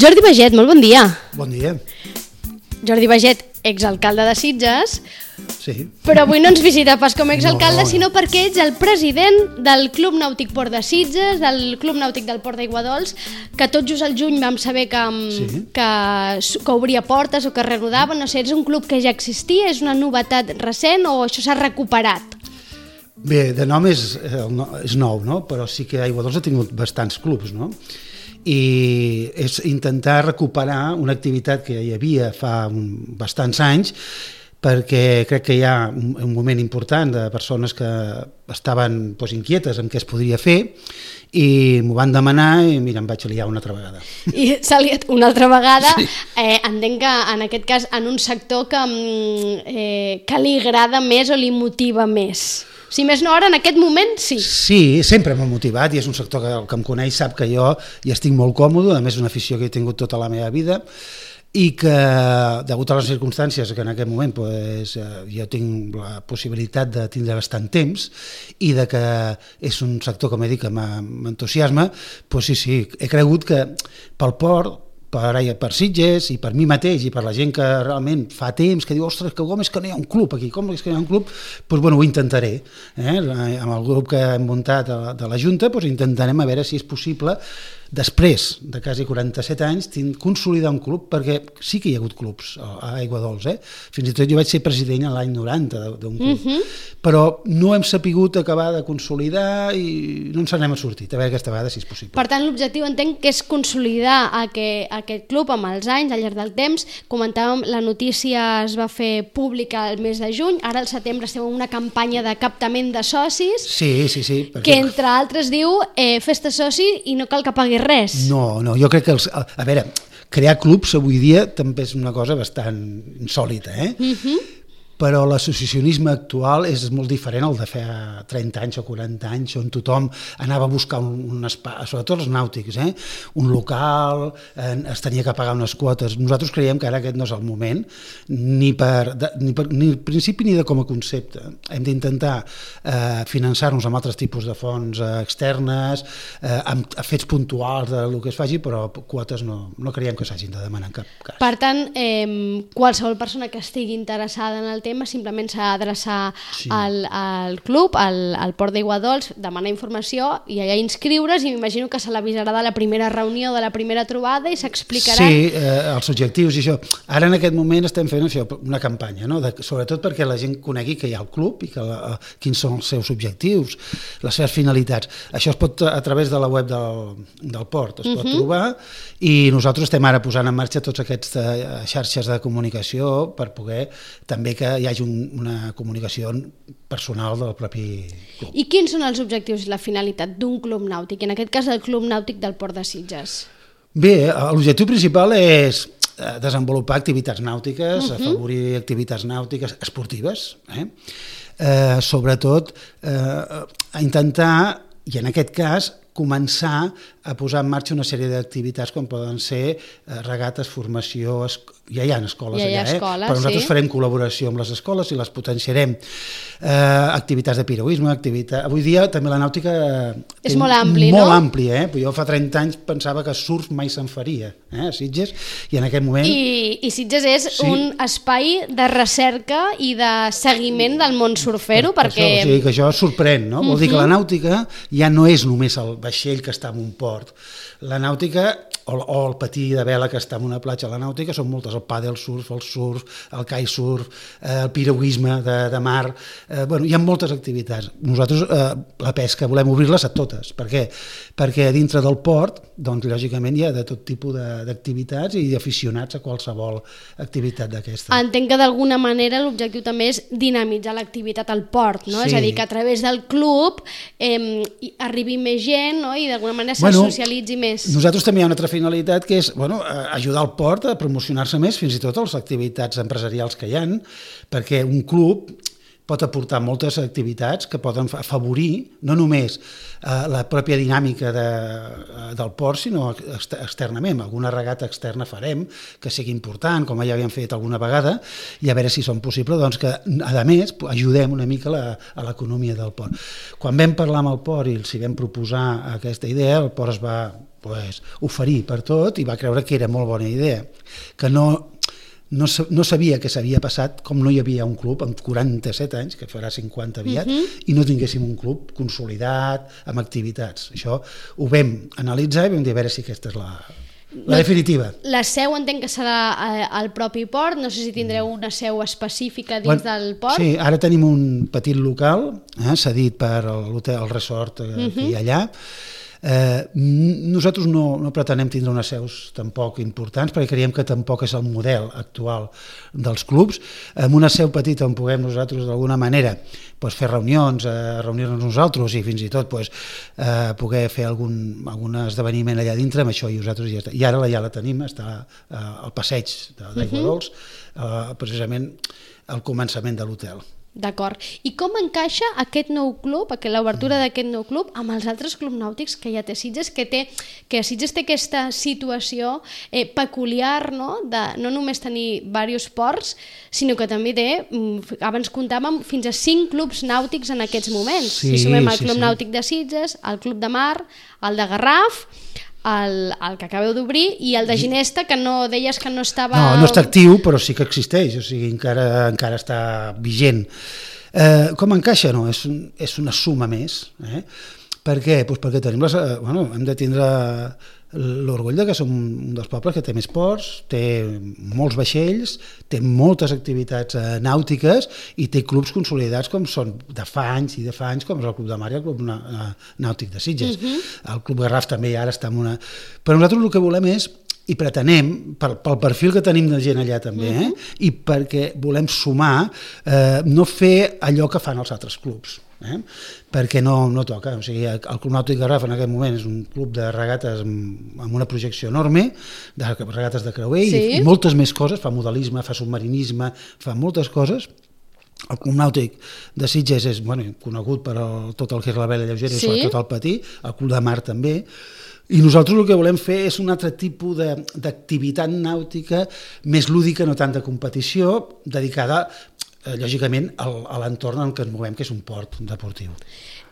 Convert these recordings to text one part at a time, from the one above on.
Jordi Baget, molt bon dia. Bon dia. Jordi Baget, exalcalde de Sitges, Sí. però avui no ens visita pas com a exalcalde, No. sinó perquè ets el president del Club Nàutic Port de Sitges, del Club Nàutic del Port d'Aiguadols, que tot just al juny vam saber que obria portes o que reanudava. No sé, és un club que ja existia, és una novetat recent o això s'ha recuperat? Bé, de nom és nou, no? Però sí que Aiguadols ha tingut bastants clubs, no? I és intentar recuperar una activitat que hi havia fa bastants anys, perquè crec que hi ha un moment important de persones que estaven inquietes amb què es podria fer i m'ho van demanar i mira, em vaig liar una altra vegada. I s'ha liat una altra vegada. Sí. Entenc que en aquest cas en un sector que li agrada més o li motiva més. Si més no, ara en aquest moment sí. Sí, sempre m'ha motivat i és un sector que el que em coneix sap que jo hi estic molt còmode, a més és una afició que he tingut tota la meva vida i que, degut a les circumstàncies que en aquest moment jo tinc la possibilitat de tindre bastant temps i de que és un sector, com he dit, que m'entusiasma, doncs sí, he cregut que pel port, per Sitges i per mi mateix i per la gent que realment fa temps que diu, ostres, com és que no hi ha un club aquí, com és que no hi ha un club, doncs bueno, ho intentaré. Amb el grup que hem muntat de la Junta intentarem a veure si és possible després de quasi 47 anys consolidar un club, perquè sí que hi ha hagut clubs a Aiguadols, fins i tot jo vaig ser president l'any 90 d'un club, però no hem sapigut acabar de consolidar i no ens n'hem sortit, a veure aquesta vegada si és possible. Per tant, l'objectiu entenc que és consolidar aquest club amb els anys, al llarg del temps. Comentàvem, la notícia es va fer pública el mes de juny, ara al setembre estem en una campanya de captament de socis, Sí. que entre altres diu fes-te soci i no cal que paguis res. No, jo crec que a veure, crear clubs avui dia també és una cosa bastant insòlita, però l'associacionisme actual és molt diferent al de fa 30 anys o 40 anys, on tothom anava a buscar un espai, sobretot els nàutics, un local, es tenia que pagar unes quotes. Nosaltres creiem que ara aquest no és el moment, ni principi ni de com a concepte. Hem d'intentar finançar-nos amb altres tipus de fonts externes, amb fets puntuals del que es faci, però quotes no creiem que s'hagin de demanar en cap cas. Per tant, qualsevol persona que estigui interessada en el tema simplement s'ha d'adreçar al club, al Port d'Aiguadols, demanar informació i allà inscriure's, i m'imagino que se l'avisarà de la primera reunió, de la primera trobada, i s'explicarà. Sí, els objectius i això. Ara en aquest moment estem fent una campanya, sobretot perquè la gent conegui que hi ha el club i quins són els seus objectius, les seves finalitats. Això es pot, a través de la web del Port, es pot trobar, i nosaltres estem ara posant en marxa tots aquests xarxes de comunicació per poder també que hi hagi una comunicació personal del propi club. I quins són els objectius i la finalitat d'un club nàutic, en aquest cas el Club Nàutic del Port de Sitges? Bé, l'objectiu principal és desenvolupar activitats nàutiques, afavorir activitats nàutiques esportives, sobretot a intentar, i en aquest cas, començar a posar en marxa una sèrie d'activitats com poden ser regates, formació, ja hi ha escoles allà, però nosaltres farem col·laboració amb les escoles i les potenciarem. Activitats de piragüisme, avui dia també la nàutica és molt ampli, no? Molt ampli, jo fa 30 anys pensava que surf mai se'n faria a Sitges, i en aquest moment... I Sitges és un espai de recerca i de seguiment del món surfero, perquè... O sigui que això sorprèn, no? Vol dir que la nàutica ja no és només el vaixell que està en un port. La nàutica, o el patí de vela que està en una platja, la nàutica són moltes, el pàdel surf, el kitesurf, el piragüisme de mar, hi ha moltes activitats. Nosaltres la pesca volem obrir-les a totes. Per què? Perquè dintre del port, doncs lògicament hi ha de tot tipus d'activitats i d'aficionats a qualsevol activitat d'aquesta. Entenc que d'alguna manera l'objectiu també és dinamitzar l'activitat al port, no? És a dir, que a través del club arribi més gent, no? I d'alguna manera se socialitzi més. Nosaltres també hi ha una altra finalitat que és ajudar el port a promocionar-se més, fins i tot a les activitats empresarials que hi ha, perquè un club pot aportar moltes activitats que poden afavorir no només la pròpia dinàmica del port, sinó externament. Alguna regata externa farem que sigui important, com ja havíem fet alguna vegada, i a veure si són possibles, doncs que, a més, ajudem una mica a l'economia del port. Quan vam parlar amb el port i els vam proposar aquesta idea, el port es va oferir per tot i va creure que era molt bona idea, que no sabia què s'havia passat, com no hi havia un club amb 47 anys, que farà 50 aviat, i no tinguéssim un club consolidat, amb activitats. Això ho vam analitzar i vam dir a veure si aquesta és la definitiva. La seu entenc que serà al propi port, no sé si tindreu una seu específica dins del port. Sí, ara tenim un petit local, cedit per l'hotel, el resort que hi ha allà. Nosaltres no pretenem tindre unes seus tampoc importants perquè creiem que tampoc és el model actual dels clubs. Amb una seu petita on puguem nosaltres d'alguna manera fer reunions, reunir-nos nosaltres i fins i tot poder fer algun esdeveniment allà dintre, amb això i nosaltres ja està. I ara ja la tenim, està al passeig d'Aigua Dols, precisament al començament de l'hotel. D'acord. I com encaixa aquest nou club, l'obertura d'aquest nou club, amb els altres clubs nàutics que ja té Sitges, que Sitges té aquesta situació peculiar, no? De no només tenir diversos ports, sinó que també té, abans comptàvem, fins a 5 clubs nàutics en aquests moments. Si sumem el Club Nàutic de Sitges, el Club de Mar, el de Garraf, el que acabeu d'obrir i el de Ginesta, que no deies que no estava... No està actiu, però sí que existeix, o sigui, encara està vigent. Com encaixa? No, és una suma més. Per què? Perquè tenim hem de tindre l'orgull que som un dels pobles que té més ports, té molts vaixells, té moltes activitats nàutiques i té clubs consolidats com són de fa anys, com és el Club de Mar i el Club Nàutic de Sitges. El Club Garraf també ara està en una... Però nosaltres el que volem és, i pretenem, pel perfil que tenim de gent allà també, i perquè volem sumar, no fer allò que fan els altres clubs. Perquè no toca. O sigui, el Club Nàutic Garraf en aquest moment és un club de regates amb una projecció enorme, de regates de creuer i moltes més coses, fa modelisme, fa submarinisme, fa moltes coses. El Club Nàutic de Sitges és conegut per tot el que és la vela lleugera i sobretot el patí, el Club de Mar també, i nosaltres el que volem fer és un altre tipus d'activitat nàutica més lúdica, no tant de competició, dedicada lògicament a l'entorn en què ens movem, que és un port deportiu.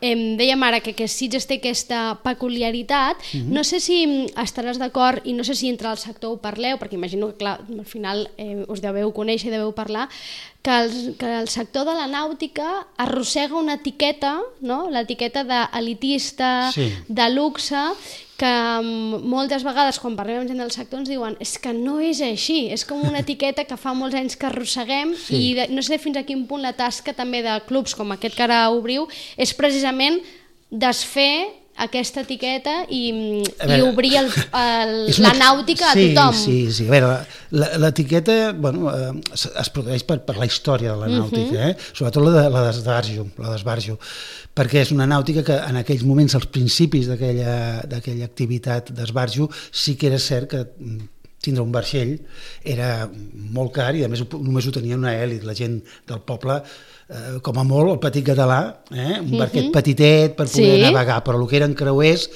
Dèiem ara que Sitges té aquesta peculiaritat. No sé si estaràs d'acord i no sé si entre el sector ho parleu, perquè imagino que clar, al final us deveu conèixer i deveu parlar, que el sector de la nàutica arrossega una etiqueta, no? L'etiqueta d'elitista, de luxe, que moltes vegades quan parlem amb gent del sector ens diuen és que no és així, és com una etiqueta que fa molts anys que arrosseguem i no sé fins a quin punt la tasca també de clubs com aquest que ara obriu és precisament desfer aquesta etiqueta i obrir la nàutica a tothom. Sí. A veure, l'etiqueta es produeix per la història de la nàutica, sobretot la d'esbarjo, perquè és una nàutica que en aquells moments, als principis d'aquella activitat d'esbarjo, sí que era cert que tindre un vaixell era molt car i a més només ho tenia una elit, la gent del poble, com a molt el petit català, un barquet petitet per poder navegar, però el que eren creuers,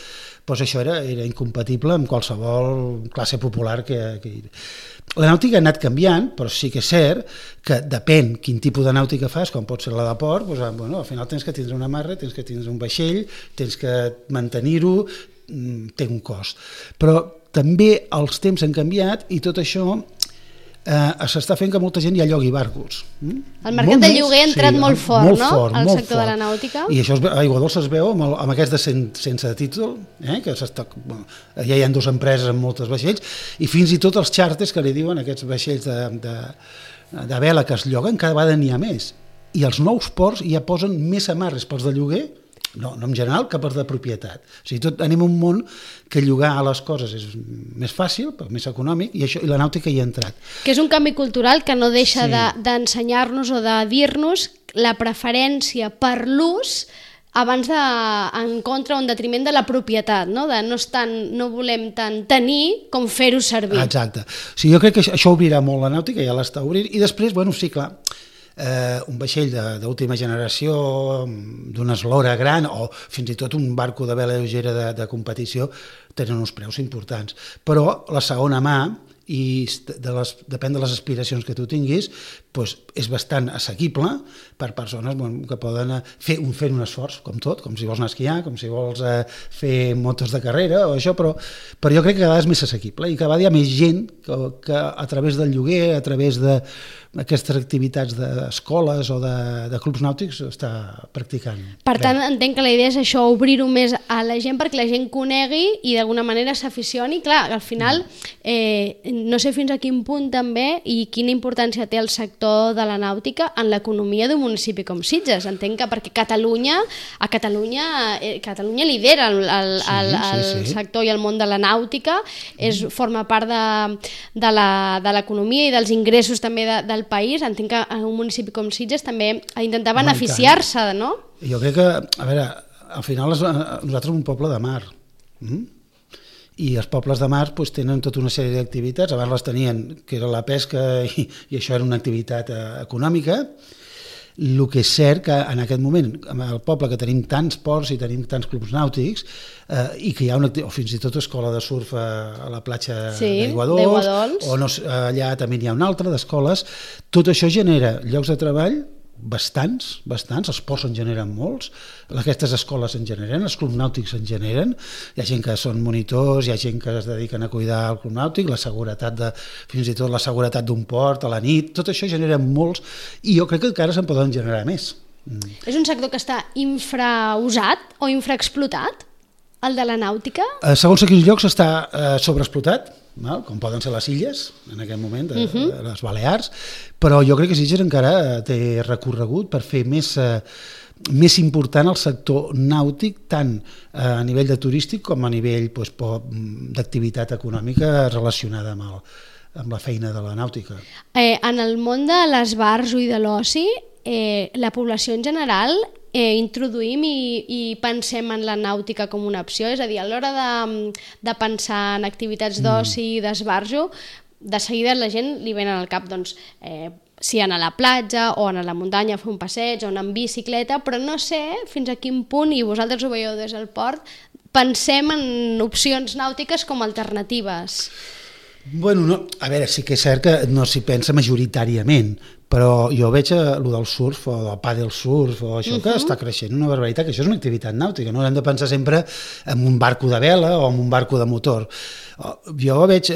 això era incompatible amb qualsevol classe popular que la nàutica ha anat canviant, però sí que és cert que depèn quin tipus de nàutica fas, com pot ser la de port, al final tens que tindre una amarra, tens que tindre un vaixell, tens que mantenir-ho, té un cost. Però també els temps han canviat i tot això s'està fent que molta gent ja llogui barcos. El mercat de lloguer ha entrat molt fort, no?, al sector de la nàutica. I això a Aigua Dols es veu amb aquests de sense títol, que ja hi ha 2 empreses amb moltes vaixells, i fins i tot els xàrters que li diuen, aquests vaixells de vela que es lloguen, cada vegada n'hi ha més. I els nous ports ja posen més amarres pels de lloguer, no en general, que per de propietat. O sigui, anem a un món que llogar a les coses és més fàcil, més econòmic, i la nàutica hi ha entrat. Que és un canvi cultural que no deixa d'ensenyar-nos o de dir-nos la preferència per l'ús abans en contra o en detriment de la propietat, no? No volem tant tenir com fer-ho servir. Exacte. O sigui, jo crec que això obrirà molt la nàutica, ja l'està obrint, i després, sí, clar, un vaixell d'última generació d'una eslora gran o fins i tot un barco de vela lleugera de competició tenen uns preus importants, però la segona mà i depèn de les aspiracions que tu tinguis, doncs és bastant assequible per persones que poden fer un esforç, com tot, com si vols anar a esquiar, com si vols fer motos de carrera o això, però jo crec que cada vegada és més assequible i cada vegada hi ha més gent que a través del lloguer, a través d'aquestes activitats d'escoles o de clubs nàutics està practicant. Per tant, entenc que la idea és això, obrir-ho més a la gent perquè la gent conegui i d'alguna manera s'aficioni. Clar, al final no sé fins a quin punt també i quina importància té el sector de la nàutica en l'economia d'un municipi com Sitges. Entenc que perquè Catalunya lidera el sector i el món de la nàutica, forma part de l'economia i dels ingressos també del país. Entenc que un municipi com Sitges també ha d'intentar beneficiar-se, no? Jo crec que, a veure, al final nosaltres som un poble de mar. I els pobles de mar tenen tota una sèrie d'activitats. Abans les tenien, que era la pesca i això era una activitat econòmica. El que és cert que en aquest moment, al poble que tenim tants ports i tenim tants clubs nàutics i que hi ha o fins i tot escola de surf a la platja d'Aiguadols, o allà també n'hi ha una altra d'escoles, tot això genera llocs de treball bastants, els ports en generen molts, aquestes escoles en generen, els clubs nàutics en generen, hi ha gent que són monitors, hi ha gent que es dediquen a cuidar el club nàutic, la seguretat fins i tot la seguretat d'un port a la nit, tot això genera molts i jo crec que encara se'n poden generar més. És un sector que està infrausat o infraexplotat, el de la nàutica? Segons quins llocs està sobreexplotat, com poden ser les Illes, en aquest moment, les Balears, però jo crec que Sitges encara té recorregut per fer més important el sector nàutic, tant a nivell de turístic com a nivell d'activitat econòmica relacionada amb la feina de la nàutica. En el món de l'esbarjo i de l'oci, la població en general introduïm i pensem en la nàutica com una opció, és a dir, a l'hora de pensar en activitats d'oci i d'esbarjo, de seguida la gent li venen al cap si anar a la platja o anar a la muntanya a fer un passeig o anar en bicicleta, però no sé fins a quin punt, i vosaltres ho veieu des del port, pensem en opcions nàutiques com alternatives. Bueno, a veure, sí que és cert que no s'hi pensa majoritàriament, però jo veig el del surf o del pàdel surf o això que està creixent una barbaritat, que això és una activitat nàutica, no hem de pensar sempre en un barco de vela o en un barco de motor. Jo veig,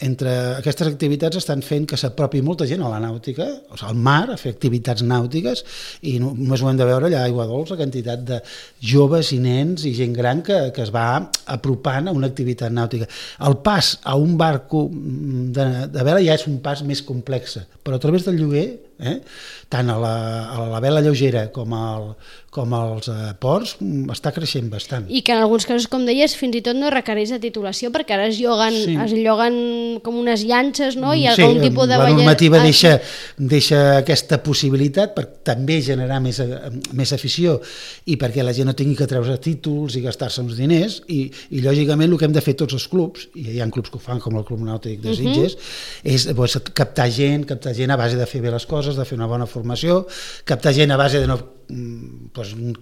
entre aquestes activitats estan fent que s'apropi molta gent a la nàutica, o sigui, al mar, a fer activitats nàutiques, i només ho hem de veure allà a Aiguadols, la quantitat de joves i nens i gent gran que es va apropant a una activitat nàutica. El pas a un barco de vela ja és un pas més complex, però a través del lloguer, tant a la vela lleugera com als ports, està creixent bastant. I que en alguns casos, com deies, fins i tot no requereix de titulació, perquè ara es lloguen com unes llanxes, no? I algun tipus de la normativa deixa aquesta possibilitat per també generar més afició i perquè la gent no tingui que treure títols i gastar-se uns diners i lògicament el que hem de fer tots els clubs, i hi ha clubs que ho fan com el Club Nàutic de Sitges, és captar gent a base de fer bé les coses, de fer una bona formació, captar gent a base de no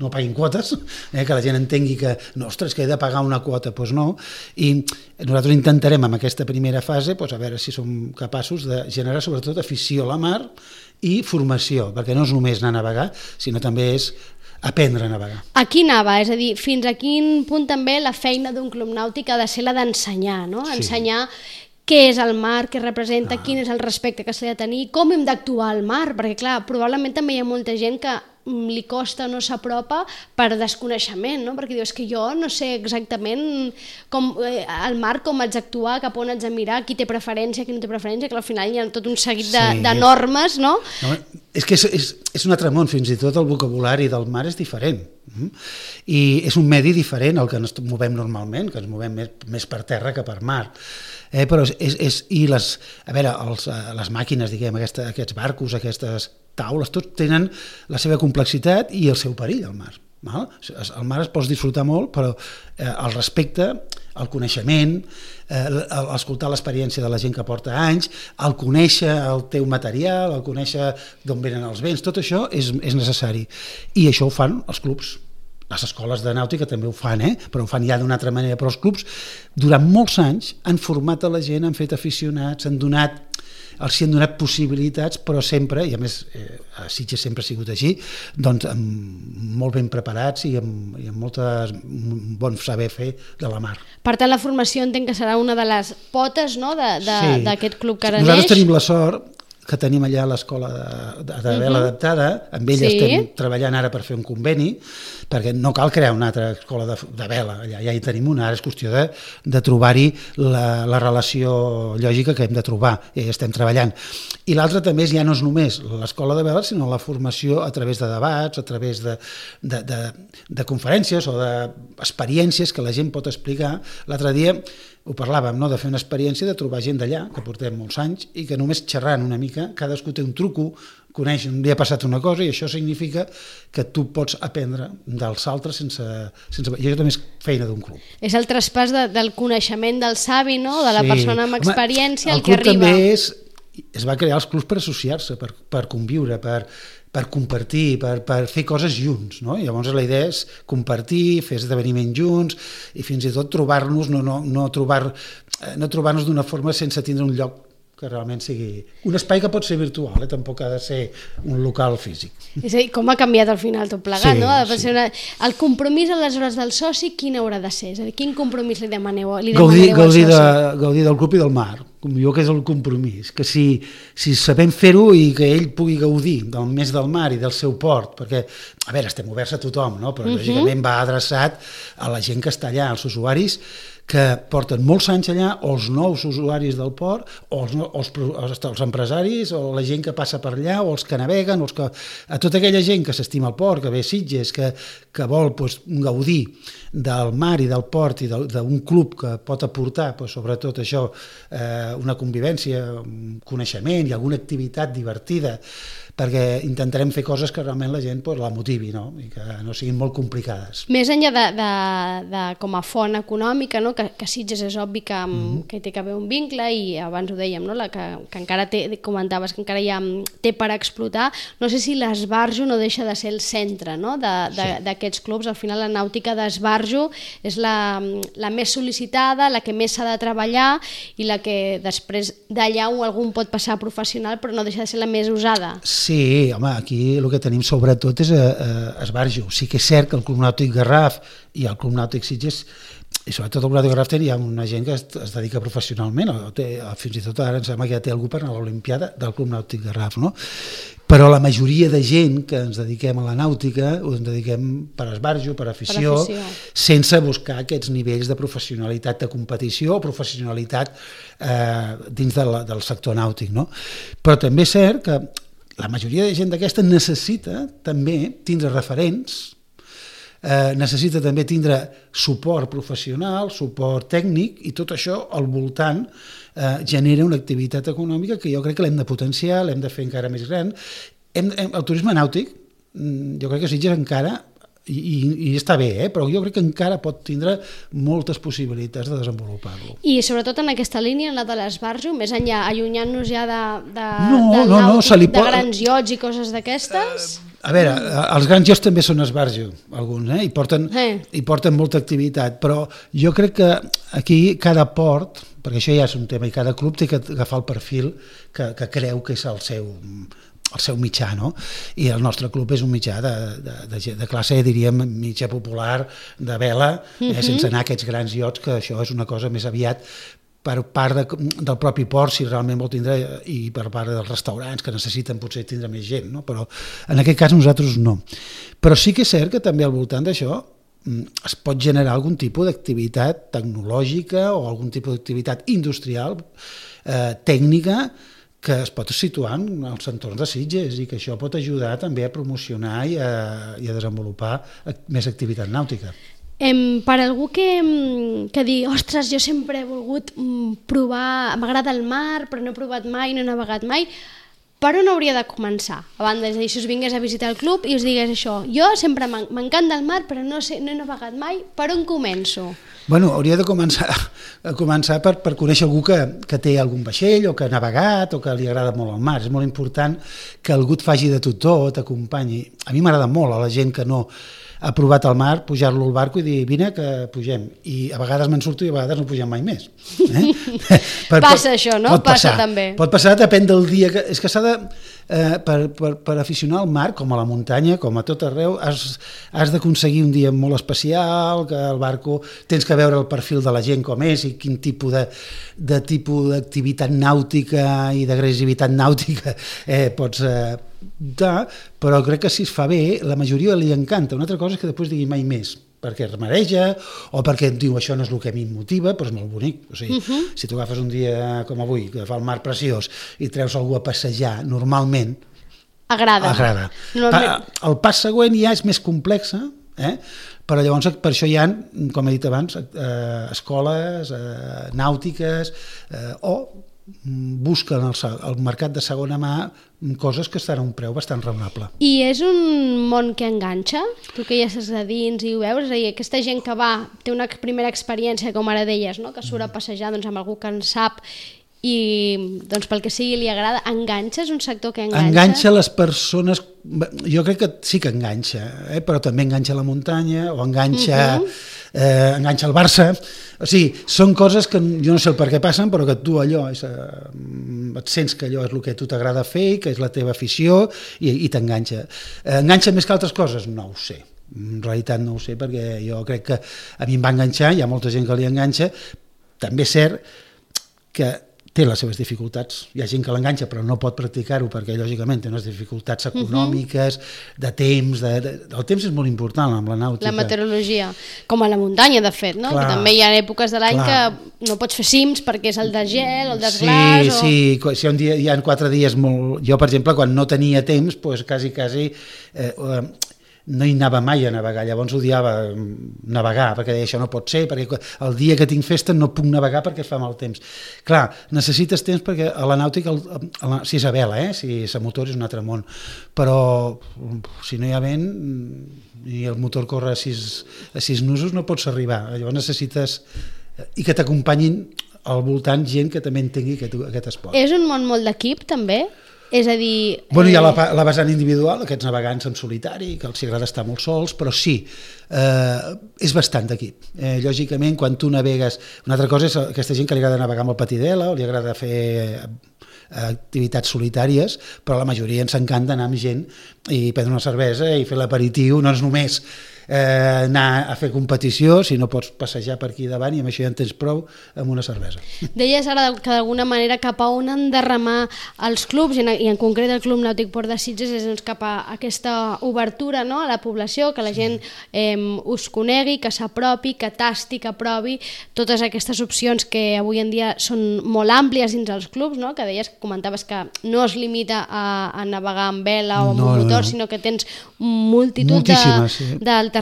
paguin quotes, que la gent entengui que, ostres, que he de pagar una quota, doncs no, i nosaltres intentarem en aquesta primera fase a veure si som capaços de generar sobretot afició a la mar i formació, perquè no és només anar a navegar, sinó també és aprendre a navegar. Aquí anava, és a dir, fins a quin punt també la feina d'un club nàutic ha de ser la d'ensenyar, no? Ensenyar què és el mar, què representa, quin és el respecte que s'ha de tenir, com hem d'actuar al mar, perquè clar, probablement també hi ha molta gent que li costa o no s'apropa per desconeixement, no? Perquè dius que jo no sé exactament al mar com haig d'actuar, cap on haig de mirar, qui té preferència, qui no té preferència, que al final hi ha tot un seguit de normes, no? És que és un altre món, fins i tot el vocabulari del mar és diferent. I és un medi diferent al que ens movem normalment, que ens movem més per terra que per mar. Però les màquines, diguem, aquests barcos, aquestes taules, tots tenen la seva complexitat i el seu perill al mar. Al mar es pot disfrutar molt, però el respecte, el coneixement, escoltar l'experiència de la gent que porta anys, el conèixer el teu material, el conèixer d'on venen els vents, tot això és necessari. I això ho fan els clubs. les escoles de nàutica també ho fan, però ho fan ja d'una altra manera, però els clubs durant molts anys han format a la gent, han fet aficionats, els han donat possibilitats, però sempre, i a més a Sitges sempre ha sigut així, doncs molt ben preparats i amb un bon saber fer de la mar. Per tant, la formació entenc que serà una de les potes, no?, d'aquest club que ara neix. Nosaltres tenim la sort que tenim allà l'escola de vela adaptada, amb ella estem treballant ara per fer un conveni, perquè no cal crear una altra escola de vela, allà ja hi tenim una, ara és qüestió de trobar-hi la relació lògica que hem de trobar, i ja estem treballant. I l'altre també ja no és només l'escola de vela, sinó la formació a través de debats, a través de conferències o d'experiències que la gent pot explicar. L'altre dia ho parlàvem, no?, de fer una experiència, de trobar gent d'allà, que portem molts anys, i que només xerrant una mica, cadascú té un truco, coneix, un dia ha passat una cosa, i això significa que tu pots aprendre dels altres sense... I això també és feina d'un club. És el traspàs del coneixement del savi, no?, de la persona amb experiència, el que arriba. El club també es va crear els clubs per associar-se, per conviure, per compartir, per fer coses junts, no? Llavors la idea és compartir, fer esdeveniments junts i fins i tot trobar-nos, no trobar-nos d'una forma sense tindre un lloc que realment sigui un espai que pot ser virtual, tampoc ha de ser un local físic. És a dir, com ha canviat al final tot plegat, no? El compromís aleshores del soci, quin haurà de ser? És a dir, quin compromís li demaneu al soci? Gaudir del club i del mar, com jo que és el compromís, que si sabem fer-ho i que ell pugui gaudir més del mar i del seu port, perquè, a veure, estem oberts a tothom, no? Però lògicament va adreçat a la gent que està allà, als usuaris que porten molts anys allà, o els nous usuaris del port, o els empresaris, o la gent que passa per allà, o els que naveguen, a tota aquella gent que s'estima el port, que ve a Sitges, que vol gaudir del mar i del port i d'un club que pot aportar, sobretot això, una convivència, un coneixement i alguna activitat divertida, perquè intentarem fer coses que realment la gent la motivi, no? I que no siguin molt complicades. Més enllà de com a font econòmica, no? Que Sitges és obvi que hi té que haver un vincle, i abans ho dèiem, no? Que encara comentaves que encara té per explotar. No sé si l'esbarjo no deixa de ser el centre, no? D'aquests clubs. Al final la nàutica d'esbarjo és la més sol·licitada, la que més s'ha de treballar i la que després d'allà algú pot passar a professional, però no deixa de ser la més usada. Sí, home, aquí el que tenim sobretot és esbarjo. Sí que és cert que el Club Nàutic Garraf i el Club Nàutic Sitges, i sobretot el Club Nàutic Garraf, hi ha una gent que es dedica professionalment, fins i tot ara em sembla que ja té algú per anar a l'Olimpiada del Club Nàutic Garraf, no? Però la majoria de gent que ens dediquem a la nàutica ens dediquem per esbarjo, per afició, sense buscar aquests nivells de professionalitat de competició o professionalitat dins del sector nàutic, no? Però també és cert que la majoria de gent d'aquesta necessita també tindre referents, necessita també tindre suport professional, suport tècnic, i tot això al voltant genera una activitat econòmica que jo crec que l'hem de potenciar, l'hem de fer encara més gran. El turisme nàutic, jo crec que Sitges encara, i està bé, però jo crec que encara pot tindre moltes possibilitats de desenvolupar-lo. I sobretot en aquesta línia, en la de l'esbarjo, més enllà, allunyant-nos ja del nàutic, de grans iots i coses d'aquestes? A veure, els grans iots també són esbarjo, alguns, i porten molta activitat, però jo crec que aquí cada port, perquè això ja és un tema, i cada club té que agafar el perfil que creu que és el seu mitjà, no? I el nostre club és un mitjà de classe, diríem, mitjà popular, de vela, sense anar a aquests grans iots, que això és una cosa més aviat per part del propi port, si realment vol tindre, i per part dels restaurants, que necessiten potser tindre més gent, no? Però en aquest cas nosaltres no. Però sí que és cert que també al voltant d'això es pot generar algun tipus d'activitat tecnològica o algun tipus d'activitat industrial, tècnica, que es pot situar en els entorns de Sitges, i que això pot ajudar també a promocionar i a desenvolupar més activitat nàutica. Per algú que digui, ostres, jo sempre he volgut provar, m'agrada el mar, però no he provat mai, no he navegat mai, per on hauria de començar? A banda, és a dir, si us vingués a visitar el club i us digués això, jo sempre m'encanta el mar, però no he navegat mai, per on començo? Bueno, hauria de començar per conèixer algú que té algun vaixell o que ha navegat o que li agrada molt el mar. És molt important que algú et faci de tutor, t'acompanyi. A mi m'agrada molt a la gent que no ha provat al mar, pujar-lo al barco i dir, vine que pugem. I a vegades me'n surto i a vegades no pugem mai més. Passa això, no? Passa també. Pot passar, depèn del dia. És que s'ha de... Per aficionar al mar, com a la muntanya, com a tot arreu, has d'aconseguir un dia molt especial, que el barco tens que veure el perfil de la gent com és i quin tipus d'activitat nàutica i d'agressivitat nàutica pots però crec que si es fa bé, la majoria li encanta. Una altra cosa és que després digui mai més, perquè es mareja o perquè diu això no és el que a mi em motiva, però és molt bonic. O sigui, si tu agafes un dia com avui, que fa el mar preciós, i treus algú a passejar, normalment agrada. El pas següent ja és més complex, però llavors per això hi ha, com he dit abans, escoles nàutiques o busquen al mercat de segona mà coses que estan a un preu bastant raonable. I és un món que enganxa? Tu que ja estàs a dins i ho veus, és a dir, aquesta gent que té una primera experiència, com ara deies, no? Que surt a passejar amb algú que en sap i pel que sigui li agrada, enganxa? És un sector que enganxa? Enganxa les persones, jo crec que sí que enganxa, però també enganxa la muntanya o enganxa el Barça. O sigui, són coses que jo no sé el per què passen, però que tu allò et sents que allò és el que a tu t'agrada fer, que és la teva afició i t'enganxa. Enganxa més que altres coses? No ho sé. En realitat no ho sé, perquè jo crec que a mi em va enganxar, hi ha molta gent que li enganxa. També és cert que té les seves dificultats. Hi ha gent que l'enganxa però no pot practicar-ho perquè lògicament té unes dificultats econòmiques, de temps, el temps és molt important amb la nàutica. La meteorologia, com a la muntanya de fet, no? Que també hi ha èpoques de l'any que no pots fer cims perquè és el de gel o el desglaç. Sí, si un dia hi ha 4 dies molt... Jo, per exemple, quan no tenia temps, quasi no hi anava mai a navegar, llavors odiava navegar, perquè deia això no pot ser, perquè el dia que tinc festa no puc navegar perquè fa mal temps. Clar, necessites temps perquè a la nàutica, si és a vela, si és a motor és un altre món, però si no hi ha vent i el motor corre a 6 nusos no pots arribar, llavors necessites i que t'acompanyin al voltant gent que també entengui aquest esport. És un món molt d'equip també? És a dir... Bueno, hi ha la vessant individual, aquests navegants en solitari, que els agrada estar molt sols, però sí, és bastant d'equip. Lògicament, quan tu navegues... Una altra cosa és aquesta gent que li agrada navegar amb el patidela o li agrada fer activitats solitàries, però la majoria ens encanta anar amb gent i prendre una cervesa i fer l'aperitiu, no és només anar a fer competició, si no pots passejar per aquí davant i amb això ja en tens prou amb una cervesa. Deies ara que d'alguna manera cap a on han de remar els clubs i en concret el Club Nàutic Port de Sitges és cap a aquesta obertura, no?, a la població, que la gent us conegui, que s'apropi, que tasti, que provi totes aquestes opcions que avui en dia són molt àmplies dins els clubs, no?, que deies, comentaves que no es limita a navegar amb vela o amb motor, sinó que tens multitud d'alternatives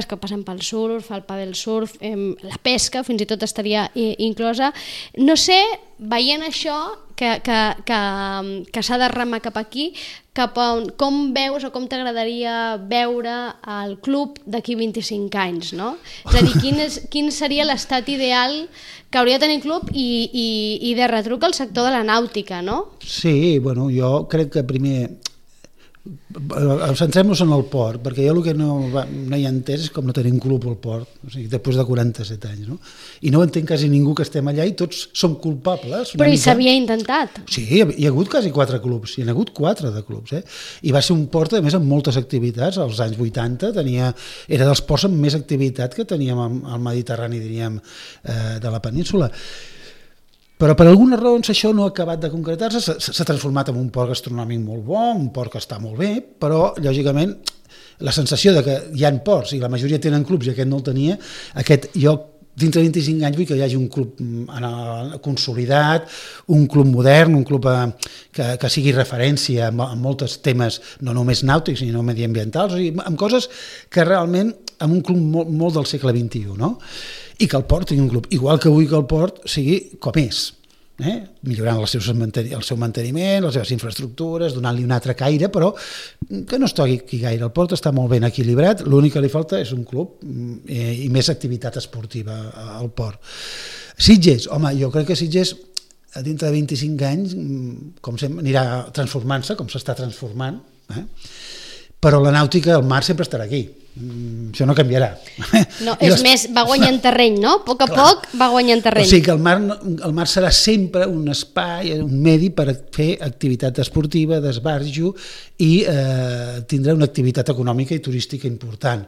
que passen pel surf, el padel surf, la pesca, fins i tot estaria inclosa. No sé, veient això, que s'ha de remar cap aquí, com veus o com t'agradaria veure el club d'aquí 25 anys, no? És a dir, quin seria l'estat ideal que hauria de tenir el club i de retruc al sector de la nàutica, no? Sí, bueno, jo crec que primer... Centrem-nos en el port, perquè jo el que no hi he entès és com no tenim club al port, o sigui, després de 47 anys, no? I no ho entenc quasi ningú que estem allà i tots som culpables. Però hi s'havia intentat. Sí, hi ha hagut quasi 4 clubs, hi ha hagut 4 de clubs, i va ser un port, a més, amb moltes activitats. Als anys 80 era dels ports amb més activitat que teníem al Mediterrani, diríem, de la península. Però per algunes raons això no ha acabat de concretar-se, s'ha transformat en un port gastronòmic molt bo, un port que està molt bé, però lògicament la sensació de que hi ha ports i la majoria tenen clubs i aquest no el tenia, jo dintre de 25 anys vull que hi hagi un club consolidat, un club modern, un club que sigui referència en molts temes, no només nàutics sinó mediambientals, o sigui, amb coses que realment, amb un club molt del segle XXI, no? I que el port tingui un club, igual que vull que el port sigui com és, millorant el seu manteniment, les seves infraestructures, donant-li un altre caire, però que no es toqui gaire. El port està molt ben equilibrat, l'únic que li falta és un club i més activitat esportiva al port. Sitges, home, jo crec que Sitges dintre de 25 anys com sempre anirà transformant-se, com s'està transformant, però la nàutica, el mar sempre estarà aquí. Això no canviarà. No, és més, va guanyant terreny, no? A poc va guanyant terreny. O sigui que el mar serà sempre un espai, un medi per fer activitat esportiva, d'esbarjo i tindrà una activitat econòmica i turística important.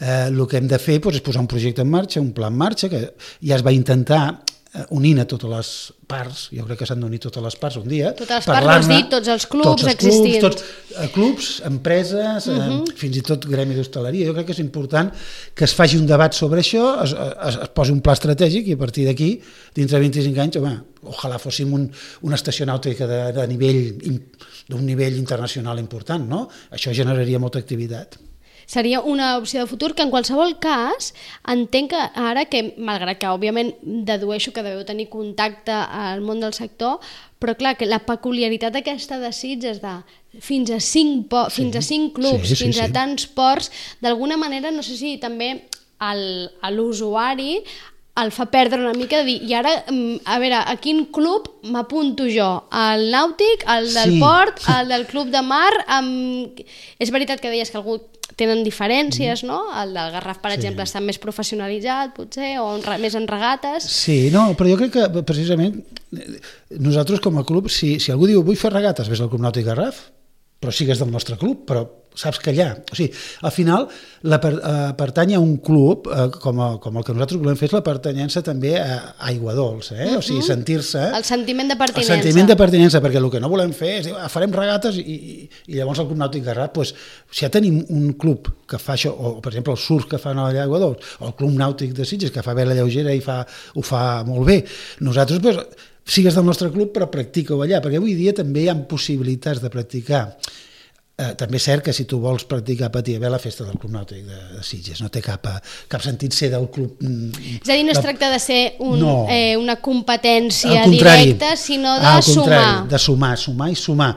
El que hem de fer és posar un projecte en marxa, un pla en marxa, que ja es va intentar unint a totes les parts, jo crec que s'han d'unir totes les parts un dia. Totes les parts, vols dir, tots els clubs existents. Clubs, empreses, fins i tot gremi d'hostaleria. Jo crec que és important que es faci un debat sobre això, es posi un pla estratègic i a partir d'aquí, dintre de 25 anys, ojalà fóssim una estació nàutica d'un nivell internacional important, no? Això generaria molta activitat. Seria una opció de futur que en qualsevol cas entenc que ara que, malgrat que òbviament dedueixo que deveu tenir contacte al món del sector, però clar, que la peculiaritat aquesta de Sitges de fins a 5 clubs, fins a tants ports, d'alguna manera no sé si també a l'usuari el fa perdre una mica de dir, i ara, a veure, a quin club m'apunto jo? Al nàutic, al del port, al del club de mar? És veritat que deies que algú tenen diferències, no? El del Garraf, per exemple, està més professionalitzat, potser, o més en regates. Sí, no, però jo crec que, precisament, nosaltres com a club, si algú diu vull fer regates, ves al Club Nàutic Garraf, però sigues del nostre club, però saps que allà, o sigui, al final pertany a un club com el que nosaltres volem fer és la pertanyença també a Aigua Dolça, o sigui, sentir-se... El sentiment de pertinença. El sentiment de pertinença, perquè el que no volem fer és dir, farem regates i llavors el Club Nàutic Garraf, doncs, si ja tenim un club que fa això, o per exemple el surf que fan a Aigua Dolça, o el Club Nàutic de Sitges que fa vela lleugera i ho fa molt bé, nosaltres, doncs, sigues del nostre club però practica-ho allà, perquè avui dia també hi ha possibilitats de practicar. També és cert que si tu vols practicar patir a vela, festa del Club Nàutic de Sitges, no té cap sentit ser del club... És a dir, no es tracta de ser una competència directa, sinó de sumar. De sumar i sumar.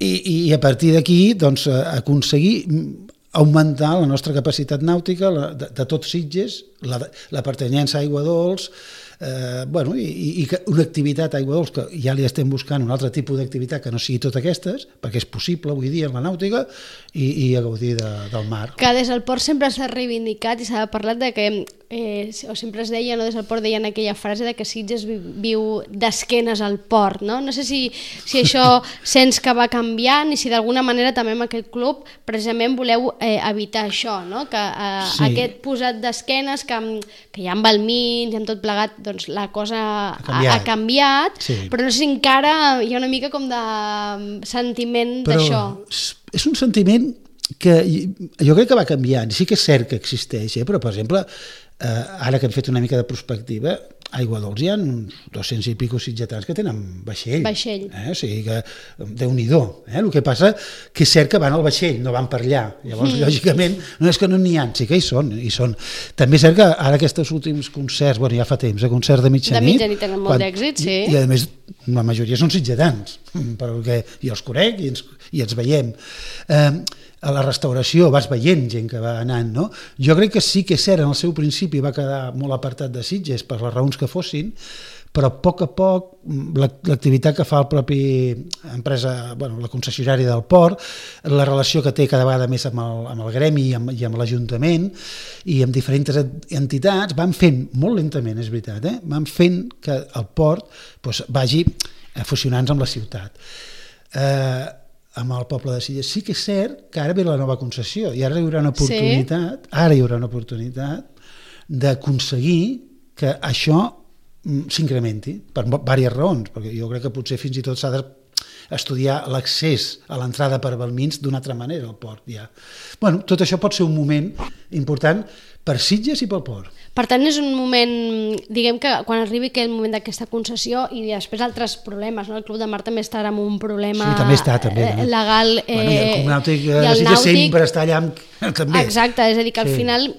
I a partir d'aquí, doncs, aconseguir augmentar la nostra capacitat nàutica de tot Sitges, la pertanyença a Aigua Dolça, i una activitat a Aigua Dolça que ja li estem buscant un altre tipus d'activitat que no sigui totes aquestes, perquè és possible avui dia en la nàutica i a gaudir del mar. Que des del port sempre s'ha reivindicat i s'ha parlat de que, o sempre es deia, no, des del port deien aquella frase de que Sitges viu d'esquenes al port, no? No sé si això sents que va canviant i si d'alguna manera també amb aquest club precisament voleu evitar això, no? Que aquest posat d'esquenes que ja amb el mig i amb tot plegat doncs la cosa ha canviat, però no sé si encara hi ha una mica com de sentiment d'això. És un sentiment que jo crec que va canviant, sí que és cert que existeix, però per exemple, ara que hem fet una mica de prospectiva, a Aigua Dolça hi ha uns 200 i pico sitgetans que tenen vaixell. O sigui que, Déu-n'hi-do. El que passa que és cert que van al vaixell, no van per allà. Llavors, lògicament, no és que no n'hi ha, sí que hi són. També és cert que ara aquests últims concerts, ja fa temps, concerts de mitjanit... De mitjanit tenen molt d'èxit, sí. I a més, la majoria són sitgetans, perquè jo els conec i ens veiem. A la restauració vas veient gent que va anant, no? Jo crec que sí que és cert, en el seu principi va quedar molt apartat de Sitges per les raons que fossin, però a poc l'activitat que fa el propi empresa, la concessionària del port, la relació que té cada vegada més amb el gremi i amb l'Ajuntament i amb diferents entitats, van fent, molt lentament és veritat, van fent que el port vagi fusionant-se amb la ciutat. Amb el poble de Sitges. Sí que és cert que ara ve la nova concessió i ara hi haurà una oportunitat d'aconseguir que això s'incrementi per diverses raons, perquè jo crec que potser fins i tot s'ha d'estudiar l'accés a l'entrada per Balmins d'una altra manera al port ja. Tot això pot ser un moment important per Sitges i pel port. Per tant, és un moment, diguem que quan arribi aquell moment d'aquesta concessió i després altres problemes, no? El Club de Mar també estarà amb un problema legal i el Club Nàutic de Sitges sempre està allà també. Exacte, és a dir que al final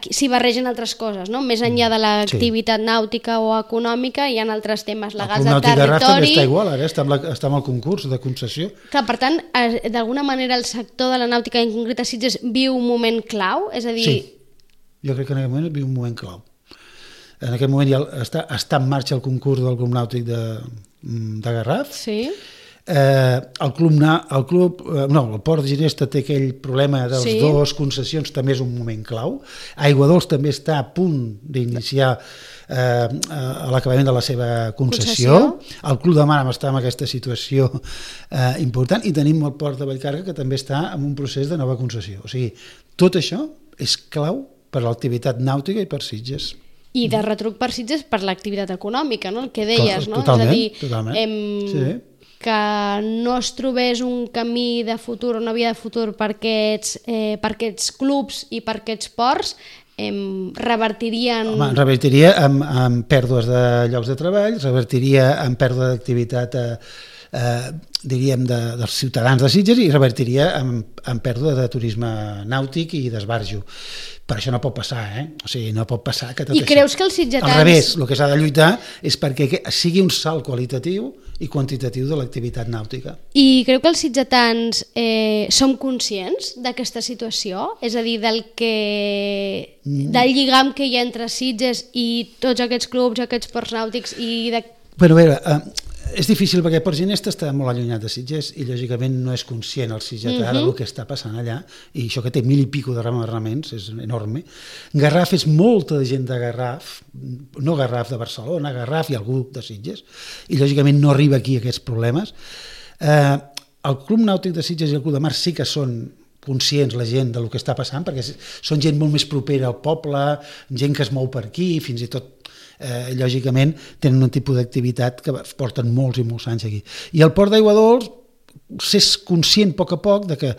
s'hi barregen altres coses, no? Més enllà de l'activitat nàutica o econòmica hi ha altres temes legals de territori. El Club Nàutic de Garraf també està igual, ara està amb el concurs de concessió. Clar, per tant, d'alguna manera el sector de la nàutica en concret a Sitges viu un moment clau, és a dir... Jo crec que en aquest moment viu un moment clau. En aquest moment ja està en marxa el concurs del Club Nàutic de Garraf. Sí. el Port de Ginesta té aquell problema dels dos concessions, també és un moment clau. Aiguadols també està a punt d'iniciar a l'acabament de la seva concessió. El Club de Mar està en aquesta situació important i tenim el Port de Vallcarca que també està en un procés de nova concessió. O sigui, tot això és clau per a l'activitat nàutica i per Sitges. I de retruc per Sitges per l'activitat econòmica, no? El que deies, no? Totalment, és a dir, que no es trobés un camí de futur, una via de futur per aquests clubs i per aquests ports, revertirien... Home, revertiria en pèrdues de llocs de treball, revertiria en pèrdua d'activitat diríem dels ciutadans de Sitges i revertiria en pèrdua de turisme nàutic i d'esbarjo. Per això no pot passar, O sigui, no pot passar que tot això... I creus que els sitgetans... Al revés, el que s'ha de lluitar és perquè sigui un salt qualitatiu i quantitatiu de l'activitat nàutica. I creu que els sitgetans som conscients d'aquesta situació? És a dir, del lligam que hi ha entre Sitges i tots aquests clubs, aquests ports nàutics i de... Bueno, a veure, és difícil perquè Port Ginesta està molt allunyat de Sitges i lògicament no és conscient el sitgetà del que està passant allà, i això que té 1000 i pico de remembrament és enorme. Garraf és molta gent de Garraf, no Garraf de Barcelona, Garraf i algú de Sitges, i lògicament no arriba aquí aquests problemes. El Club Nàutic de Sitges i el Club de Mar sí que són conscients la gent del que està passant, perquè són gent molt més propera al poble, gent que es mou per aquí, fins i tot lògicament tenen un tipus d'activitat que porten molts i molts anys aquí. I el Port d'Aiguadols s'és conscient a poc de que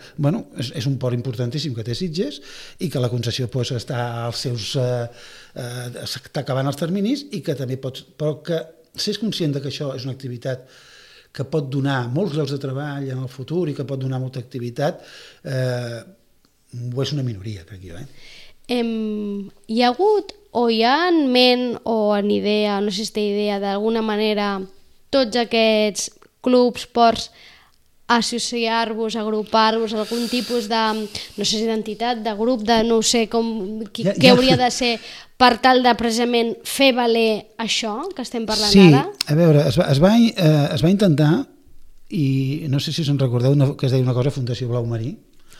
és un port importantíssim que té Sitges i que la concessió està als seus està acabant els terminis i que també però que s'és conscient que això és una activitat que pot donar molts llocs de treball en el futur i que pot donar molta activitat, és una minoria, crec jo. Hi ha hagut o hi ha en ment o en idea, no sé si té idea, d'alguna manera tots aquests clubs, ports, associar-vos, agrupar-vos, algun tipus de, no sé si d'entitat, de grup, de no sé què hauria de ser per tal de precisament fer valer això que estem parlant ara? Sí, a veure, es va intentar, i no sé si us en recordeu, que es deia una cosa Fundació Blau Marí.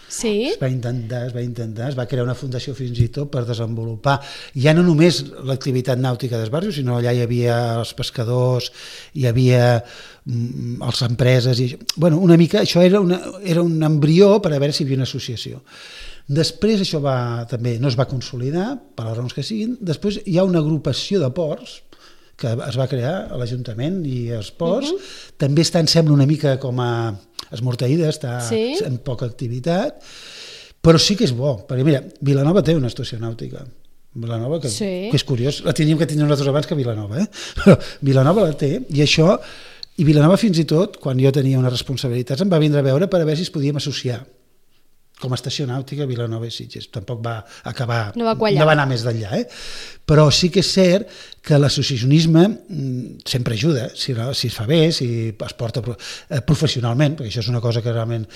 Sí. Es va intentar, es va crear una fundació fins i tot per desenvolupar ja no només l'activitat nàutica d'esbarjo, sinó allà hi havia els pescadors, hi havia les empreses, una mica això era un embrió per a veure si hi havia una associació. Després això també no es va consolidar, per les raons que siguin. Després hi ha una agrupació de ports que es va crear a l'Ajuntament i els ports, també està, em sembla, una mica com a esmorteïda, està en poca activitat, però sí que és bo, perquè mira, Vilanova té una estació nàutica, Vilanova, que és curiós, la teníem que tenir nosaltres abans que Vilanova, però Vilanova la té, i Vilanova fins i tot, quan jo tenia unes responsabilitats, em va vindre a veure per a veure si es podíem associar com a estació nàutica Vilanova i Sitges. Tampoc va acabar, no va anar més d'enllà, però sí que és cert que l'associacionisme sempre ajuda, si es fa bé, si es porta professionalment, perquè això és una cosa que realment...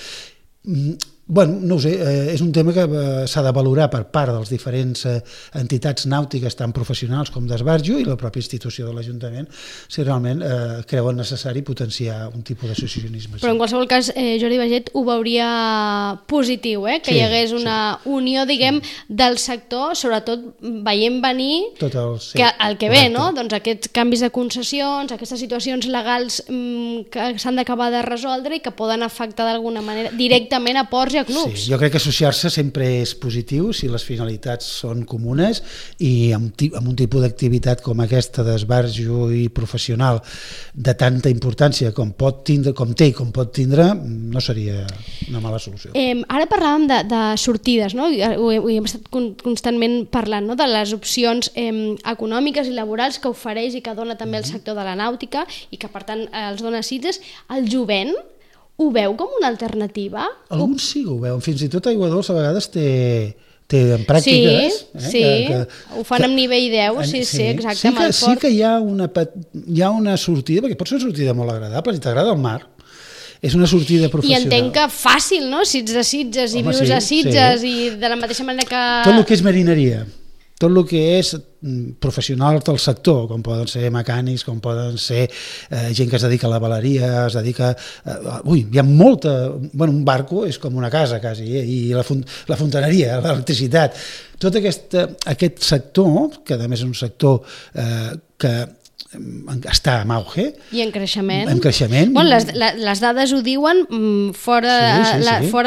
no ho sé, és un tema que s'ha de valorar per part dels diferents entitats nàutiques, tant professionals com d'esbarjo, i la pròpia institució de l'Ajuntament, si realment creuen necessari potenciar un tipus d'associacionisme. Però en qualsevol cas, Jordi Baiget ho veuria positiu, que hi hagués una unió, diguem, del sector, sobretot veient venir el que ve, no? Doncs aquests canvis de concessions, aquestes situacions legals que s'han d'acabar de resoldre i que poden afectar d'alguna manera directament a ports i a clubs. Sí, jo crec que associar-se sempre és positiu si les finalitats són comunes, i amb un tipus d'activitat com aquesta d'esbarjo i professional de tanta importància com té i com pot tindre, no seria una mala solució. Ara parlàvem de sortides, no? Ho hem estat constantment parlant, no? De les opcions econòmiques i laborals que ofereix i que dona també el sector de la nàutica i que per tant els dona Sitges. El jovent ho veu com una alternativa? Alguns sí que ho veuen, fins i tot Aiguadols a vegades té en pràctiques. Ho fan amb nivell 10, sí, exacte, amb el port. Sí que hi ha una sortida, perquè pot ser una sortida molt agradable, si t'agrada el mar, és una sortida professional. I entenc que fàcil, no? Si ets de Sitges i vius a Sitges i de la mateixa manera que... Tot el que és marineria, tot el que és professionals del sector, com poden ser mecànics, com poden ser gent que es dedica a la veleria, es dedica... hi ha molta... un barco és com una casa, quasi, i la fontaneria, l'electricitat. Tot aquest sector, que a més és un sector que està en auge. I en creixement. En creixement. Bueno, les dades ho diuen, fora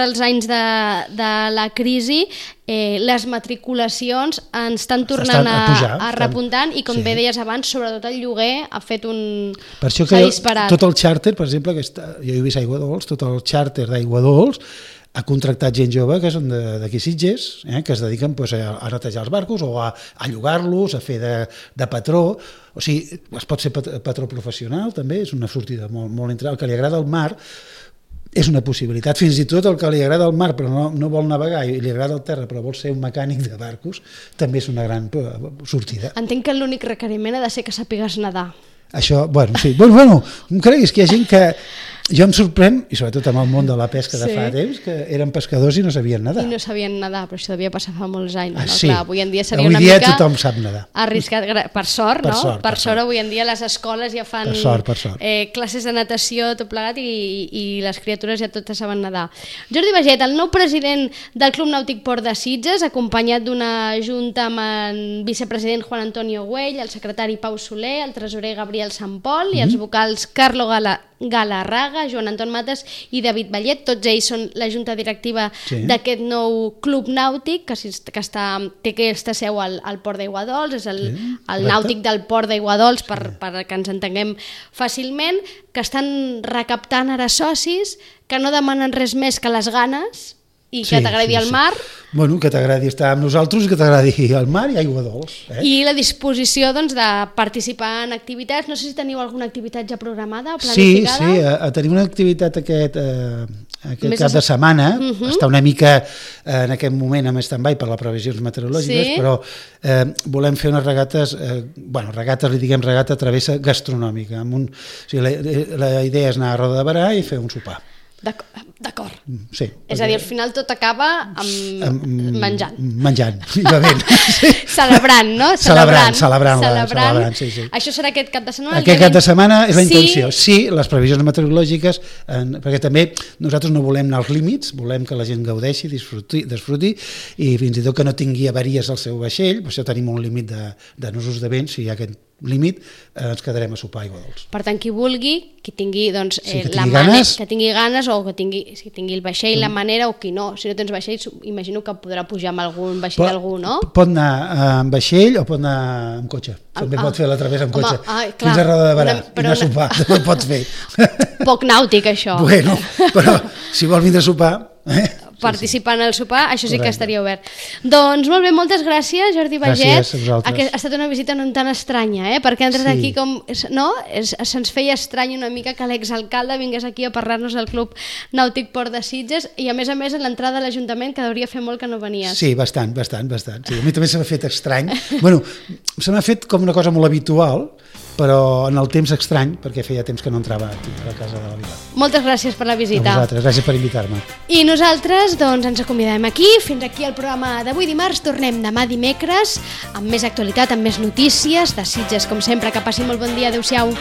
els anys de la crisi, les matriculacions ens estan tornant a repuntant i, com bé deies abans, sobretot el lloguer ha fet un... Per això que tot el xàrter, per exemple, jo he vist Aigua Dols, tot el xàrter d'Aigua Dols ha contractat gent jove que són d'aquí Sitges, que es dediquen a netejar els barcos o a llogar-los, a fer de patró. O sigui, es pot ser patró professional també, és una sortida molt entre el que li agrada el mar, és una possibilitat. Fins i tot el que li agrada el mar però no vol navegar i li agrada el terra però vol ser un mecànic de barcos, també és una gran sortida. Entenc que l'únic requeriment ha de ser que sàpigues nedar. Això, sí. Bueno, em creguis que hi ha gent que... Jo em sorprèn, i sobretot amb el món de la pesca de fa temps, que eren pescadors i no sabien nedar. I no sabien nedar, però això devia passar fa molts anys. Sí, clar, avui en dia seria una mica... tothom sap nedar. Arriscat, per sort, no? Per sort, avui en dia les escoles ja fan classes de natació, tot plegat, i les criatures ja totes saben nedar. Jordi Baget, el nou president del Club Nàutic Port de Sitges, acompanyat d'una junta amb el vicepresident Juan Antonio Güell, el secretari Pau Soler, el tresorer Gabriel Sant Pol i els vocals Carlo Galarraga, Joan Anton Mates i David Vallet. Tots ells són la junta directiva d'aquest nou club nàutic que té aquesta seu al Port d'Aiguadols, és el nàutic del Port d'Aiguadols, per que ens entenguem fàcilment, que estan recaptant ara socis, que no demanen res més que les ganes i que t'agradi el mar. Bueno, que t'agradi estar amb nosaltres i que t'agradi el mar i Aigua Dols. I la disposició de participar en activitats. No sé si teniu alguna activitat ja programada o planificada. Sí, tenim una activitat aquest cap de setmana. Està una mica en aquest moment en stand-by per les previsions meteorològiques, però volem fer unes regates, regata travessa gastronòmica. La idea és anar a Roda de Berà i fer un sopar. D'acord. Sí, és a dir, al final tot acaba menjant. Menjant, i bevent. Celebrant, no? Celebrant, sí. Això serà aquest cap de setmana? Aquest cap de setmana és la intenció. Sí, les previsions meteorològiques, perquè també nosaltres no volem anar als límits, volem que la gent gaudeixi, disfruti, i fins i tot que no tingui avaries al seu vaixell, per això tenim un límit de nusos de vent, si hi ha aquest límit, ens quedarem a sopar a Aigua Dols. Per tant, qui vulgui, qui tingui ganes o que tingui el vaixell, la manera, o qui no. Si no tens vaixell, imagino que podrà pujar amb algun vaixell d'algú, no? Pot anar amb vaixell o pot anar amb cotxe. També pot fer la travessa amb cotxe. Fins a Roda de Berà i anar a sopar. També pots fer. Poc nàutic, això. Bueno, però si vols vindre a sopar... participar en el sopar, això sí que estaria obert. Doncs molt bé, moltes gràcies, Jordi Baget. Gràcies a vosaltres. Ha estat una visita no tan estranya, perquè entres aquí com... No? Se'ns feia estrany una mica que l'exalcalde vingués aquí a parlar-nos del Club Nàutic Port de Sitges i a més a l'entrada a l'Ajuntament, que hauria fer molt que no venies. Sí, bastant. Sí, a mi també se m'ha fet estrany. Bueno, se m'ha fet com una cosa molt habitual, però en el temps estrany, perquè feia temps que no entrava aquí a la casa de la Vila. Moltes gràcies per la visita. A vosaltres, gràcies per invitar-me. I nosaltres ens acomiadem aquí. Fins aquí el programa d'avui dimarts. Tornem demà dimecres amb més actualitat, amb més notícies de Sitges, com sempre. Que passi molt bon dia. Adéu-siau.